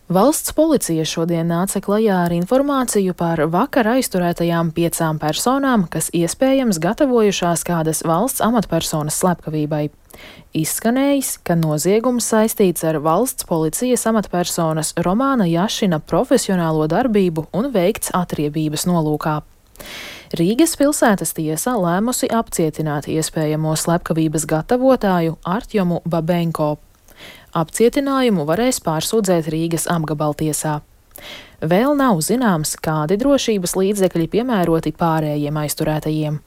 Valsts policija šodien nāca klajā ar informāciju par vakar aizturētajām 5 personām, kas iespējams gatavojušās kādas valsts amatpersonas slepkavībai. Izskanējis, ka noziegums saistīts ar valsts policijas amatpersonas Romāna Jašina profesionālo darbību un veikts atriebības nolūkā. Rīgas pilsētas tiesa lēmusi apcietināt iespējamo slepkavības gatavotāju Artjomu Babenko. Apcietinājumu varēs pārsūdzēt Rīgas apgabaltiesā. Vēl nav zināms, kādi drošības līdzekļi piemēroti pārējiem aizturētajiem.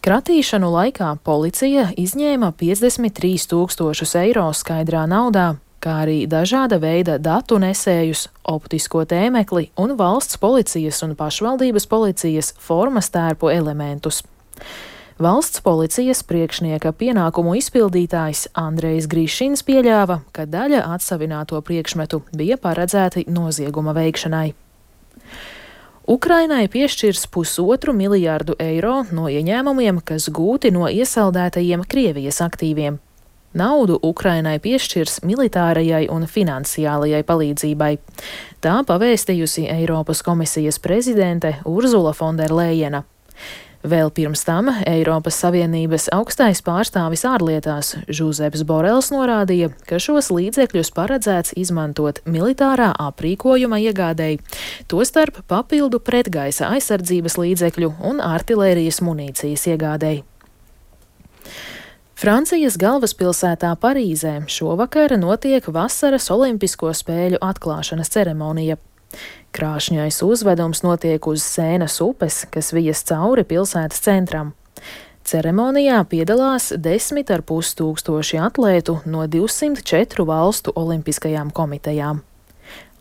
Kratīšanu laikā policija izņēma 53 000 eiro skaidrā naudā, kā arī dažāda veida datu nesējus, optisko tēmekli un valsts policijas un pašvaldības policijas formas tērpu elementus. Valsts policijas priekšnieka pienākumu izpildītājs Andrejs Grišins pieļāva, ka daļa atsavināto priekšmetu bija paredzēti nozieguma veikšanai. Ukrainai piešķirs 1,5 miljārdu eiro no ieņēmumiem, kas gūti no iesaldētajiem Krievijas aktīviem. Naudu Ukrainai piešķirs militārajai un finansiālajai palīdzībai. Tā pavēstījusi Eiropas komisijas prezidente Urzula Fonderlejena. Vēl pirms tam Eiropas Savienības augstais pārstāvis ārlietās Žuzeps Borels norādīja, ka šos līdzekļus paredzēts izmantot militārā aprīkojuma iegādēji, tostarp papildu pretgaisa aizsardzības līdzekļu un artilērijas munīcijas iegādēji. Francijas galvaspilsētā Parīzē šovakar notiek vasaras olimpisko spēļu atklāšanas ceremonija. Krāšņais uzvedums notiek uz Sēnas upes, kas vijas cauri pilsētas centram. Ceremonijā piedalās 10,5 tūkstoši atlētu no 204 valstu olimpiskajām komitejām.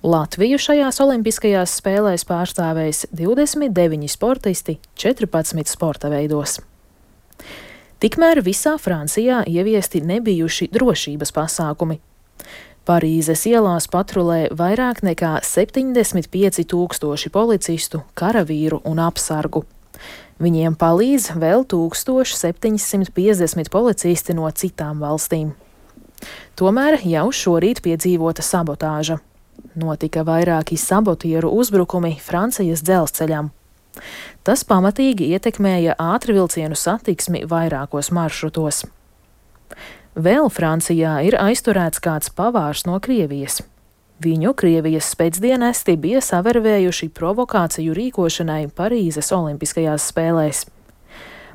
Latviju šajās olimpiskajās spēlēs pārstāvēs 29 sportisti 14 sporta veidos. Tikmēr visā Francijā ieviesti nebijuši drošības pasākumi. Parīzes ielās patrulē vairāk nekā 75 000 policistu, karavīru un apsargu. Viņiem palīdz vēl 1750 policisti no citām valstīm. Tomēr jau šorīt piedzīvota sabotāža. Notika vairāki sabotieru uzbrukumi Francijas dzelzceļam. Tas pamatīgi ietekmēja ātrvilcienu satiksmi vairākos maršrutos. Vēl Francijā ir aizturēts kāds pavārs no Krievijas. Viņu Krievijas spēcdienesti bija savervējuši provokāciju rīkošanai Parīzes olimpiskajās spēlēs.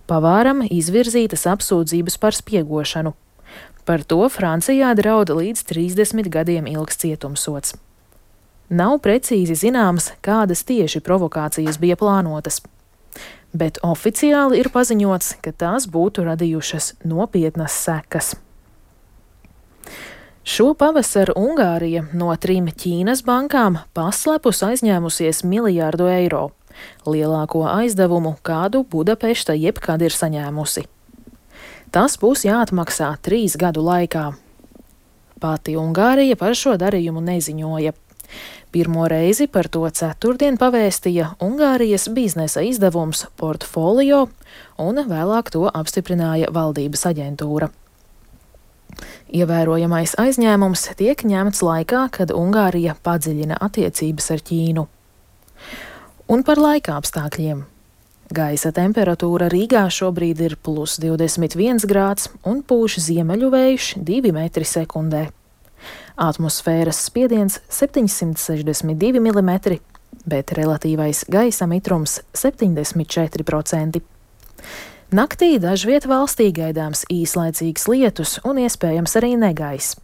Pavāram izvirzītas apsūdzības par spiegošanu. Par to Francijā draud līdz 30 gadiem ilgs cietumsods. Nav precīzi zināms, kādas tieši provokācijas bija plānotas. Bet oficiāli ir paziņots, ka tās būtu radījušas nopietnas sekas. Šo pavasaru Ungārija no 3 Ķīnas bankām paslepus aizņēmusies miljārdu eiro, lielāko aizdevumu, kādu Budapešta jebkad ir saņēmusi. Tas būs jāatmaksā 3 gadu laikā. Pati Ungārija par šo darījumu neziņoja. Pirmo reizi par to ceturtdien pavēstīja Ungārijas biznesa izdevums Portfolio, un vēlāk to apstiprināja valdības aģentūra. Ievērojamais aizņēmums tiek ņemts laikā, kad Ungārija padziļina attiecības ar Ķīnu. Un par laika apstākļiem. Gaisa temperatūra Rīgā šobrīd ir +21 grāds un pūš ziemeļu vējš 2 metri sekundē. Atmosfēras spiediens 762 mm, bet relatīvais gaisa mitrums 74%. Naktī dažviet valstī gaidāms īslaicīgs lietus un iespējams arī negaiss.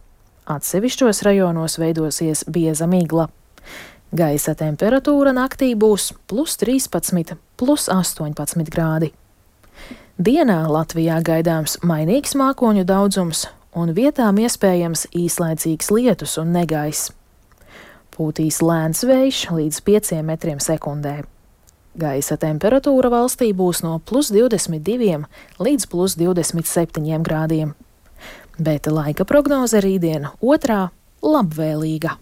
Atsevišķos rajonos veidosies bieza migla. Gaisa temperatūra naktī būs +13, +18 grādi. Dienā Latvijā gaidāms mainīgs mākoņu daudzums un vietām iespējams īslaicīgs lietus un negaiss. Pūtīs lēns vējš līdz 5 metriem sekundē. Gaisa temperatūra valstī būs no +22 līdz +27 grādiem. Bet laika prognoze rītdien otrā labvēlīga.